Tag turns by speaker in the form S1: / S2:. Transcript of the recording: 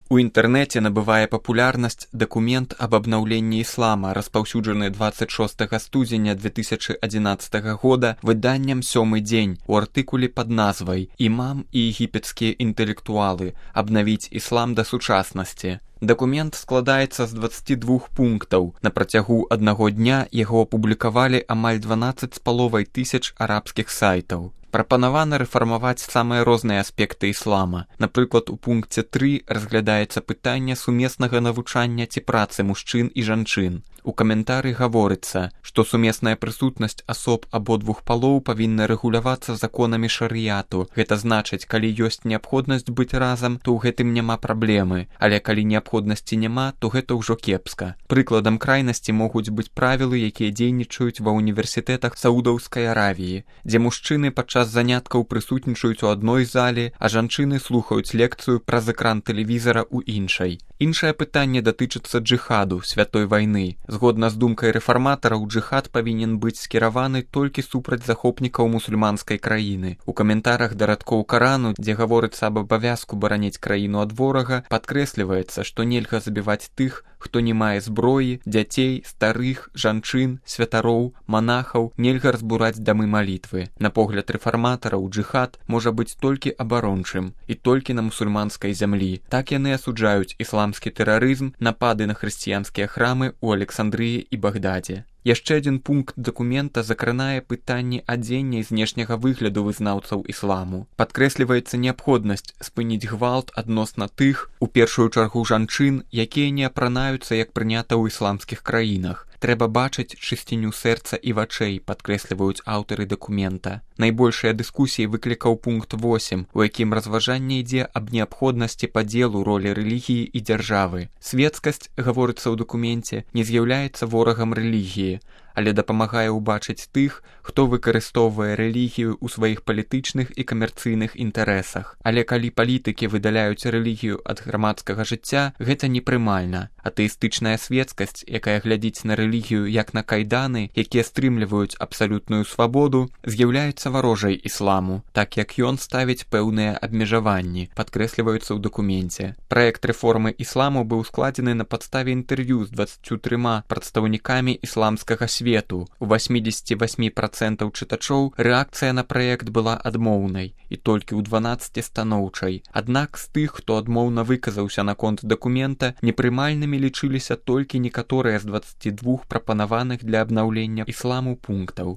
S1: У інтэрнэце набывае папулярнасць дакумент аб абнаўленні іслама, распаўсюджаны 26 студзеня 2011 года выданнем «Сёмы дзень» у артыкуле пад назвай «Імам і егіпецкія інтэлектуалы. Абнавіць іслам да сучаснасці». Дакумент складаецца з 22 пунктаў. На працягу аднаго дня яго апублікавалі амаль 12,5 тысяч арабскіх сайтаў. Прапанавана рэфармаваць самыя розныя аспекты іслама. Напрыклад, у пункце 3 разглядаецца пытанне сумеснага навучання ці працы мужчын і жанчын. У каментары гаворыцца, што сумесная прысутнасць асоб абодвух палоў павінна рэгулявацца законамі шарыяту. Гэта значыць, калі ёсць неабходнасць быць разам, то ў гэтым няма праблемы, але калі неабходнасці няма, то гэта ўжо кепска. Прыкладам крайнасці могуць быць правілы, якія дзейнічаюць ва ўніверсітэтах Саудаўскай Аравіі, дзе мужчыны падчас заняткаў прысутнічаюць у адной зале, а жанчыны слухаюць лекцыю праз экран тэлевізара ў іншай. Іншае пытанне датычыцца джыхаду, святой вайны. Згодна з думкай рэфарматараў, джыхад павінен быць скіраваны толькі супраць захопнікаў мусульманскай краіны. У каментарах да радкоў Карану, дзе гаворыцца аб абавязку бараніць краіну ад ворага, падкрэсліваецца, што нельга забіваць тых, хто не мае зброі, дзяцей, старых, жанчын, святароў, манахаў, нельга разбураць дамы малітвы. На погляд рэфарматараў, джыхад можа быць толькі абарончым і толькі на мусульманскай зямлі. Так яны асуджаюць ісламскі тэрарызм, напады на хрысціянскія храмы ў Александрыі і Багдадзе. Яшчэ адзін пункт дакумента закранае пытанні адзення і знешняга выгляду вызнаўцаў ісламу. Падкрэсліваецца неабходнасць спыніць гвалт адносна тых, у першую чаргу жанчын, якія не апранаюцца, як прынята ў ісламскіх краінах. Трэба бачыць чысціню сэрца і вачэй, падкрэсліваюць аўтары дакумента. Найбольшыя дыскусіі выклікаў пункт 8, у якім разважанне ідзе аб неабходнасці падзелу ролі рэлігіі і дзяржавы. Свецкасць, гаворыцца ў дакуменце, не з'яўляецца ворагам рэлігіі, але дапамагае ўбачыць тых, хто выкарыстоўвае рэлігію ў сваіх палітычных і камерцыйных інтарэсах. Але калі палітыкі выдаляюць рэлігію ад грамадскага жыцця, гэта непрымальна. Атэістычная свецкасць, якая глядзіць на рэлігію як на кайданы, якія стрымліваюць абсалютную свабоду, з'яўляецца варожай ісламу, так як ён ставіць пэўныя абмежаванні, падкрэсліваюцца ў дакуменце. Праект рэформы ісламу быў складзены на падставе інтэрв'ю з 23 прадстаўнікамі ісламскага свету. У 88% чытачоў рэакцыя на праект была адмоўнай і толькі ў 12 станоўчай. Аднак з тых, хто адмоўна выказаўся наконт дакумента, непрымальнымі лічыліся толькі некаторыя з 22 прапанаваных для абнаўлення ісламу пунктаў.